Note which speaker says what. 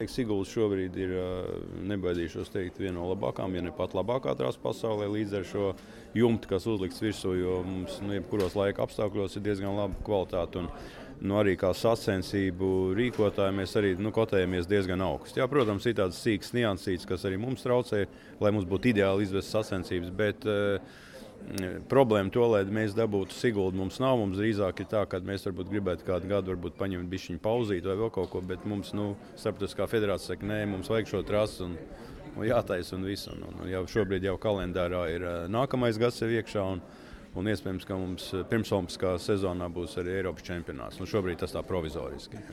Speaker 1: Sigulda šobrīd ir, nebaidīšos teikt, viena no labākām, ja ne pat labākā trasa pasaulē līdz ar šo jumtu, kas uzlikts virsū, jo mums jebkuros laika apstākļos ir diezgan laba kvalitāte. Un arī kā sacensību rīkotāji mēs arī kotējamies diezgan augstu. Jā, protams, ir tādas sīkas niansītes, kas arī mums traucē, lai mums būtu ideāli izvest sacensības, bet problēma to, lai mēs dabūtu Siguldu, mums nav. Mums drīzāk ir tā, ka mēs varbūt gribētu kādu gadu paņemt bišķiņu pauzīt vai vēl kaut ko, bet mums, starptautiskā federācija saka, nē, mums vajag šo trasi un jātaisa un visu. Un jau šobrīd jau kalendārā ir nākamais gads sev iekšā un iespējams, ka mums pirmsolimpiskā sezonā būs arī Eiropas čempionāts. Šobrīd tas tā provizoriski.